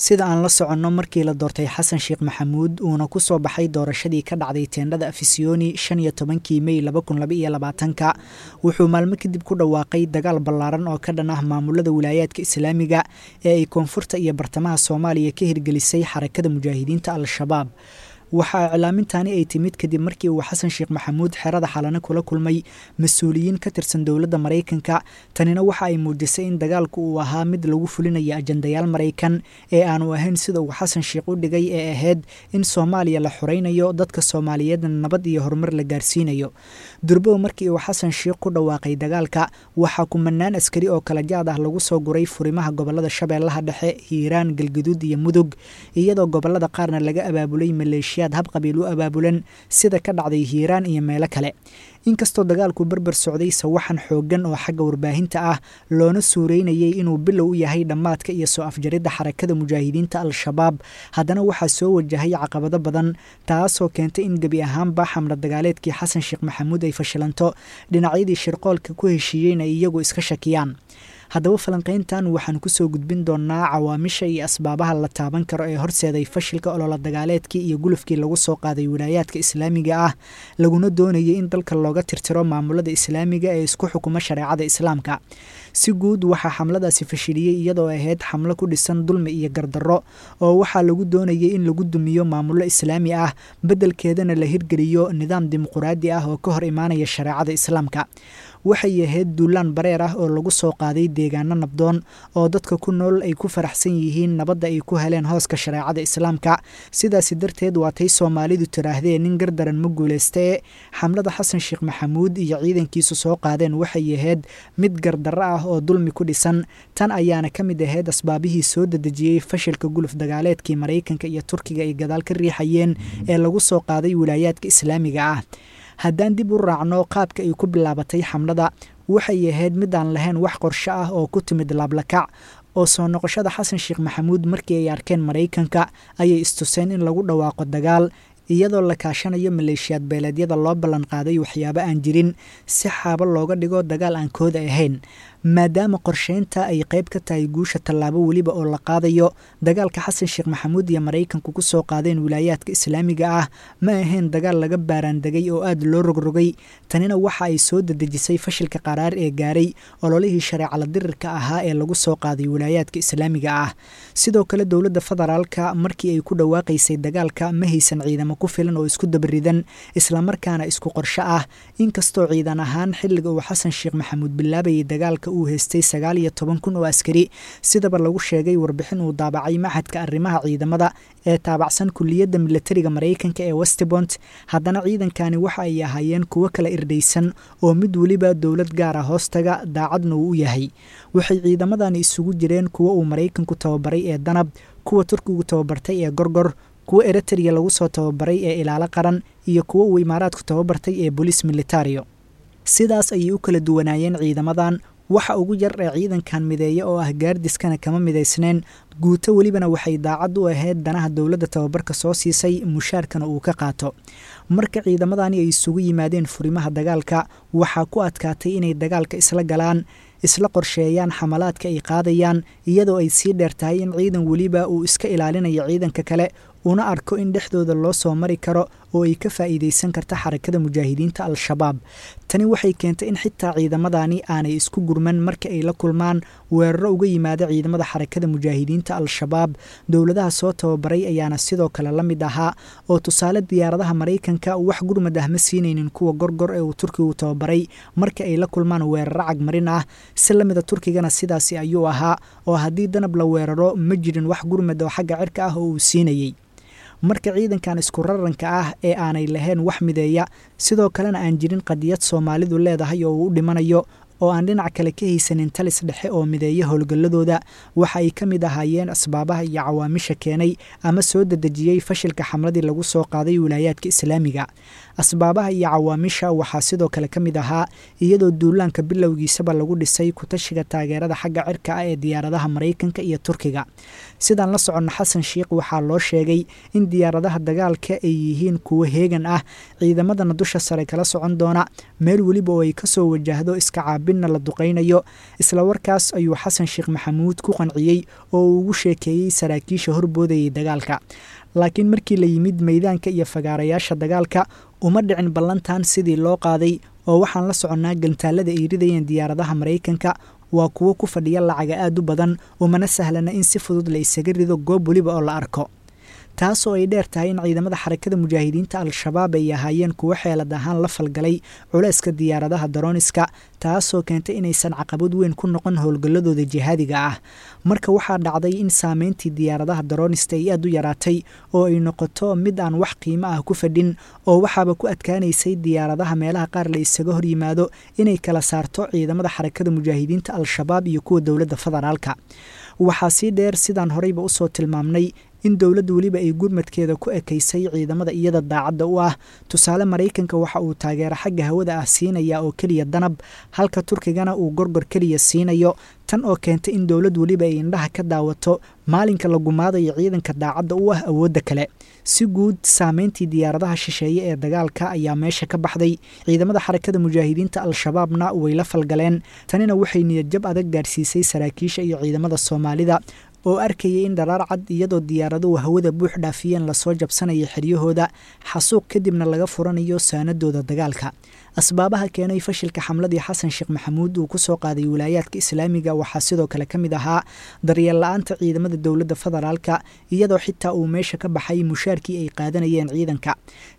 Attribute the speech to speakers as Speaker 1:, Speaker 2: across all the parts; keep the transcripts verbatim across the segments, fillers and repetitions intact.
Speaker 1: Sida aan la soconno, markii la doortay Xasan Sheekh Maxamuud uuna ku soo baxay doorashadii ka dhacday teendhada Afisiyoni shan iyo tobankii Mey laba kun laba iyo labaatanka, wuxuu maalmo kadib ku dhawaaqay dagaal ballaaran oo ka dhan ah maamulada wilaayaadka islaamiga ee ay koonfurta iyo bartamaha Soomaaliya ka hirgelisay Xarakada Mujaahidiinta Al-Shabaab. Waxaa iclaamintani ay timid kadib markii uu Xasan Sheekh Maxamuud xerada Xalane kula kulmay mas-uuliyiin ka tirsan dowladda Maraykanka. Tanina waxa ay muujisay in dagaalku uu ahaa mid lagu fulinayo ajandayaal Maraykan ee aanu ahayn sida uu Xasan Sheekh u dhigay ee ahayd in Soomaaliya la xoreynayo, dadka Soomaaliyeedna nabad iyo horumar la gaarsiinayo. Durbow markii uu Xasan Sheekh ku dhawaaqay dagaalka, waxaa kumanaan askari oo kala jaad ah lagu soo guray furimaha gobolada Shabeellaha Dhexe, Hiiraan, Galgaduud iyo Mudug, iyadoo gobolada qaarna laga abaabulay maleeshiya hab qabiil u abaabulan sida ka dhacday Hiiraan iyo meelo kale. Inkastoo dagaalku berber socday sawaxan xooggan oo xagga warbaahinta ah, loona suureynayay inuu bilow u yahay dhammaadka iyo soo afjaridda Xarakada Mujaahidiinta Al-Shabaab, haddana waxaa soo wajahay caqabado badan, taasoo keentay in gebi ahaanba xamla dagaaleedkii Xasan Sheekh Maxamuud ay fashilanto, dhinacyadii shirqoolka ku heshiiyeyna iyagu iska shakiyaan. Haddaba falanqayntan waxaan kusoo gudbin doonaa cawaamisha iyo asbaabaha la taaban karo ee horseeday fashilka olola dagaaleedkii iyo gulufkii lagu soo qaaday wilaayaadka islaamiga ah, laguna doonayay in dalka looga tirtiro maamulada islaamiga ee isku xukuma shareecada islaamka. Si guud waxaa xamladaasi fashiliyey iyadoo ahayd xamlo ku dhisan dulmi iyo gardarro, oo waxaa lagu doonayay in lagu dumiyo maamullo islaami ah, beddelkeedana la hirgeliyo nidaam dimuquraadi ah oo ka hor imaanaya shareecada islaamka. Waxay ahayd duulaan bareer ah oo lagu soo qaaday deegaano nabdoon oo dadka ku nool ay ku faraxsan yihiin nabadda ay ku heleen hooska shareecada islaamka. Sidaasi darteed waatay Soomaalidu tiraahdee nin gardaran ma guulaystee. Xamlada Xasan Sheekh Maxamuud iyo ciidankiisu soo qaadeen waxay ahayd mid gardarro ah oo dulmi ku dhisan. Tan ayaana ka mid ahayd asbaabihii soo dedejiyey fashilka guluf dagaaleedkii Maraykanka iyo Turkiga ay gadaal ka riixayeen ee lagu soo qaaday wilaayaadka islaamiga ah. Haddaan dib u raacno qaabka ay ku bilaabatay xamlada, waxay ahayd mid aan lahayn wax qorsho ah oo ku timid laablakac, oo soo noqoshada Xasan Sheekh Maxamuud markii ay arkeen Maraykanka ayay istuseen in lagu dhawaaqo dagaal, iyadoo la kaashanayo maleeshiyaad beeleedyada loo ballan qaaday waxyaabo aan jirin si xaabo looga dhigo dagaal aan kooda ahayn. Maadaama qorsheynta ay qayb ka tahay guusha tallaabo weliba oo la qaadayo, dagaalka Xasan Sheekh Maxamuud iyo Maraykanku ku soo qaadeen wilaayaadka islaamiga ah ma ahayn dagaal laga baaraandegay oo aad loo rogrogay. Tanina waxa ay soo dedejisay fashilka qaraar ee gaaray ololihii shareecala dirirka ahaa ee lagu soo qaaday wilaayaadka islaamiga ah. Sidoo kale dowladda federaalka markii ay ku dhawaaqaysay dagaalka ma haysan ciidamo ku filan oo isku dabaridan islamarkaana isku qorsho ah, inkastoo ciidan ahaan xilliga uu Xasan Sheekh Maxamuud bilaabayay dagaalka uu haystay sagaal iyo toban kun oo askari, sidaba lagu sheegay warbixin uu daabacay Maxadka Arrimaha Ciidamada ee taabacsan Kulliyadda Milatariga Maraykanka ee Westbont. Haddana ciidankani waxa ay ahaayeen kuwo kala irdhaysan oo mid weliba dowlad gaara hoostaga daacadna uu u yahay. Waxay ciidamadani isugu jireen kuwo uu Maraykanku tababaray ee Danab, kuwa Turkigu tababartay ee Gorgor, kuwa Eritrea lagu soo tababaray ee Ilaalo Qaran iyo kuwo uu Imaaraadku tababartay ee Bolis Militario. Sidaas ayay u kala duwanaayeen ciidamadan. Waxa ugu yar ee ciidankan mideeya oo ah gaardiskana kama midaysneen. Guuto welibana waxay daacad u ahayd danaha dowladda tababarka soo siisay, mushaarkana uu ka qaato. Marka ciidamadani ay isugu yimaadeen furimaha dagaalka, waxaa ku adkaatay inay dagaalka isla galaan, isla qorsheeyaan xamalaadka ay qaadayaan, iyadoo ay sii dheer tahay in ciidan weliba uu iska ilaalinayo ciidanka kale, una arko in dhexdooda loo soo mari karo oo ay ka faa'iidaysan karta Xarakada Mujaahidiinta Al-Shabaab. Tani waxay keentay in xitaa ciidamadani aanay isku gurman marka ay la kulmaan weeraro uga yimaada ciidamada Xarakada Mujaahidiinta Al-Shabaab. Dowladaha soo tababaray ayaana sidoo kale la mid ahaa, oo tusaale diyaaradaha Maraykanka wax gurmad ah ma siinaynin kuwa Gorgor ee uu Turkigu tababaray marka ay la kulmaan weeraro cagmarin ah. Si lamida Turkigana sidaasi ayuu ahaa, oo haddii Danab la weeraro ma jirin wax gurmad oo xagga cirka ah oo uu siinayey. Marka ciidankan isku raranka ah ee aanay lahayn wax mideeya, sidoo kalena aan jirin qadiyad Soomaalidu leedahay oo uu u dhimanayo, oo aan dhinac kale ka haysanin talis dhexe oo mideeya howlgalladooda, waxa ay ka mid ahaayeen asbaabaha iyo cawaamisha keenay ama soo dedejiyey fashilka xamladii lagu soo qaaday wilaayaadka islaamiga. Asbaabaha iyo cawaamisha waxaa sidoo kale ka mid ahaa iyadoo duulaanka bilowgiisaba lagu dhisay kutashiga taageerada xagga cirka ah ee diyaaradaha Maraykanka iyo Turkiga. Sidaan la soconno, Xasan Sheikh waxaa loo sheegay in diyaaradaha dagaalka ay yihiin kuwo heegan ah, ciidamadana dusha sare kala socon doona meel weliba oo ay kasoo wajahdo iska hubinna la duqaynayo. Isla warkaas ayuu Xasan Sheekh Maxamuud ku qanciyey oo uu ugu sheekeeyey saraakiisha horboodayay dagaalka. Laakiin markii la yimid meydaanka iyo fagaarayaasha dagaalka, uma dhicin ballantan sidii loo qaaday, oo waxaan la soconnaa gantaalada ay ridayeen diyaaradaha Maraykanka waa kuwo ku fadhiya lacaga aad u badan, umana sahlana in si fudud la isaga rido goob weliba oo la arko. Taasoo ay dheer tahay in ciidamada Xarakada Mujaahidiinta Al-Shabaab ay ahaayeen kuwo xeelad ahaan la falgalay culayska diyaaradaha darooniska, taasoo keentay inaysan caqabad weyn ku noqon howlgalladooda jihaadiga ah. Marka waxaa dhacday in saameyntii diyaaradaha daroonista ay aad u yaraatay oo ay noqoto mid aan wax qiimo ah ku fadhin, oo waxaaba ku adkaanaysay diyaaradaha meelaha qaar la isaga hor yimaado inay kala saarto ciidamada Xarakada Mujaahidiinta Al-Shabaab iyo kuwa dowladda federaalka. Waxaa sii dheer, sidaan horeyba usoo tilmaamnay, in dowladda weliba ay gurmadkeeda ku ekaysay ciidamada iyada daacadda u ah. Tusaale, Maraykanka waxa uu taageero xagga hawada ah siinaya oo keliya Danab, halka Turkigana uu Gorgor keliya siinayo, tan oo keentay in dowlad weliba ay indhaha ka daawato maalinka la gumaadayo ciidanka daacadda u ah awoodda kale. Si guud, saameyntii diyaaradaha shisheeye ee dagaalka ayaa meesha ka baxday, ciidamada Xarakada Mujaahidiinta Al-Shabaabna way la falgaleen. Tanina waxay niyadjab adag gaarsiisay saraakiisha iyo ciidamada Soomaalida oo arkayay in dharaar cad, iyadoo diyaaraduhu hawada buux dhaafiyeen, lasoo jabsanaya xeryahooda, xasuuq kadibna laga furanayo saanadooda dagaalka. Asbaabaha keenay fashilka xamladii Xasan Sheekh Maxamuud uu ku soo qaaday wilaayaadka islaamiga waxaa sidoo kale ka mid ahaa daryeel la-aanta ciidamada dowladda federaalka, iyadoo xitaa uu meesha ka baxay mushaarkii ay qaadanayeen ciidanka,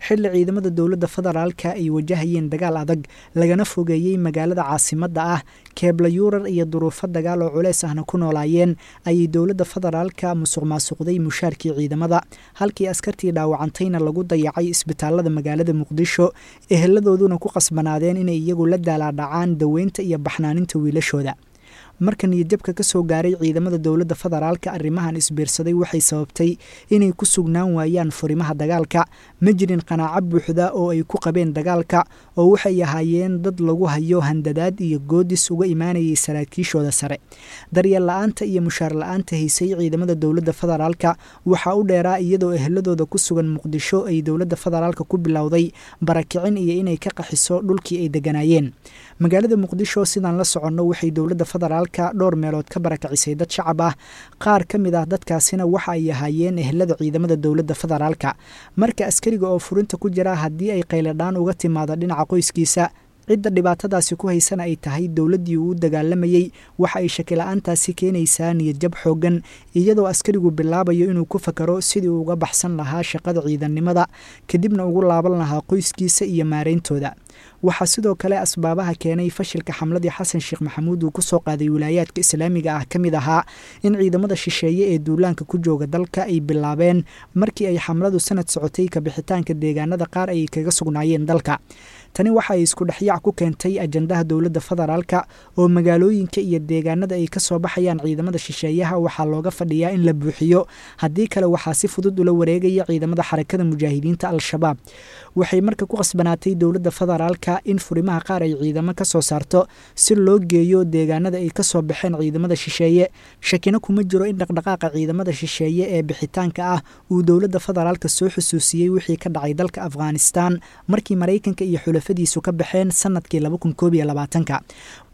Speaker 1: xilli ciidamada dowladda federaalka ay wajahayeen dagaal adag, lagana fogeeyey magaalada caasimadda ah, keebla yuurar iyo duruufo dagaal oo culeys ahna ku noolaayeen, ayay dowladda federaalka musuq maasuqday mushaarkii ciidamada, halkii askartii dhaawacantayna lagu dayacay isbitaalada magaalada Muqdisho, eheladooduna ku qasbanaadeen inay iyagu la daalaadhacaan daweynta iyo baxnaaninta wiilashooda. Marka niyadjabka ka soo gaaray ciidamada dowladda federaalka arrimahan isbiirsaday waxay sababtay inay ku sugnaan waayaan furimaha dagaalka. Ma jirin qanaaco buuxda oo ay ku qabeen dagaalka, oo waxay ahaayeen dad lagu hayo handadaad iyo goodis uga imaanayay saraakiishooda sare. Daryeel la-aanta iyo mushaar la-aanta haysay ciidamada dowladda federaalka waxaa u dheeraa iyadoo eheladooda ku sugan Muqdisho ay dowladda federaalka ku bilowday barakicin iyo inay ka qaxiso dhulkii ay deganaayeen. Magaalada Muqdisho, sidaan la soconno, waxay dowladda federaalka dhowr meelood ka barakacisay dad shacab ah. Qaar ka mid ah dadkaasina waxa ay ahaayeen ehelada ciidamada dowladda federaalka. Marka askariga oo furinta ku jira haddii ay qayladhaan uga timaado dhinaca qoyskiisa, cidda dhibaatadaasi ku haysana ay tahay dowladdii uu dagaalamayey, waxa ay shakila-aantaasi keenaysaa niyadjab xooggan, iyadoo askarigu bilaabayo inuu ku fakaro sidii uu uga baxsan lahaa shaqada ciidannimada, kadibna ugu laaban lahaa qoyskiisa iyo maarayntooda. Waxaa sidoo kale asbaabaha keenay fashilka xamladii Xasan Sheekh Maxamuud uu ku soo qaaday wilaayaadka islaamiga ah ka mid ahaa in ciidamada shisheeye ee duulaanka ku jooga dalka ay bilaabeen, markii ay xamladu sanad socotay, kabixitaanka deegaanada qaar ay kaga sugnaayeen dalka. Tani waxa ay isku dhexyaac ku keentay ajandaha dowladda federaalka, oo magaalooyinka iyo deegaanada ay ka soo baxayaan ciidamada shisheeyaha waxaa looga fadhiyaa in la buuxiyo, haddii kale waxaa si fudud ula wareegaya ciidamada Xarakada Mujaahidiinta Al-Shabaab. Waxay marka ku qasbanaatay dowladda federaalka in furimaha qaar ay ciidamo ka soo saarto si loo geeyo deegaanada ay ka soo baxeen ciidamada shisheeye. Shakina kuma jiro in dhaqdhaqaaqa ciidamada shisheeye ee bixitaanka ah uu dowladda federaalka soo xusuusiyey wixii ka dhacay dalka Afghanistan markii Maraykanka iyo xulafadiisu ka baxeen sanadkii laba kun koob iyo labaatanka.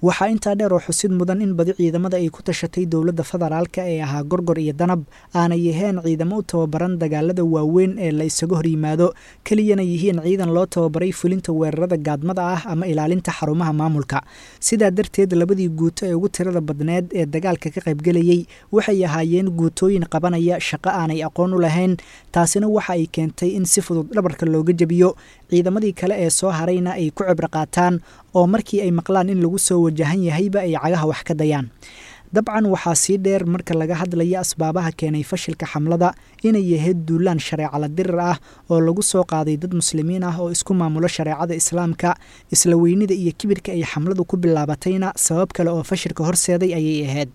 Speaker 1: Waxaa intaa dheer oo xusid mudan in badi ciidamada ay ku tashatay dowladda federaalka ee ahaa Gorgor iyo Danab aanay aheen ciidamo u tababaran dagaalada waaweyn ee la isaga hor yimaado, keliyana yihiin ciidan loo tababaray fulinta weerarada gaadmada ah ama ilaalinta xarumaha maamulka. Sidaa darteed, labadii guuto ee ugu tirada badneed ee dagaalka ka qaybgelayey waxay ahaayeen guutooyin qabanaya shaqo aanay aqoon u lahayn, taasina waxa ay keentay in si fudud dhabarka looga jebiyo, ciidamadii kale ee soo harayna ay ku cibro qaataan, oo markii ay maqlaan in lagu soo wajahan yahayba ay cagaha wax ka dayaan. Dabcan waxaa sii dheer, marka laga hadlaya asbaabaha keenay fashilka xamlada, inay yahayd duulaan shareecala dirir ah oo lagu soo qaaday dad muslimiin ah oo isku maamulo shareecada islaamka. Isla weynida iyo kibirka ay xamladu ku bilaabatayna sabab kale oo fashilka horseeday ayay ahayd.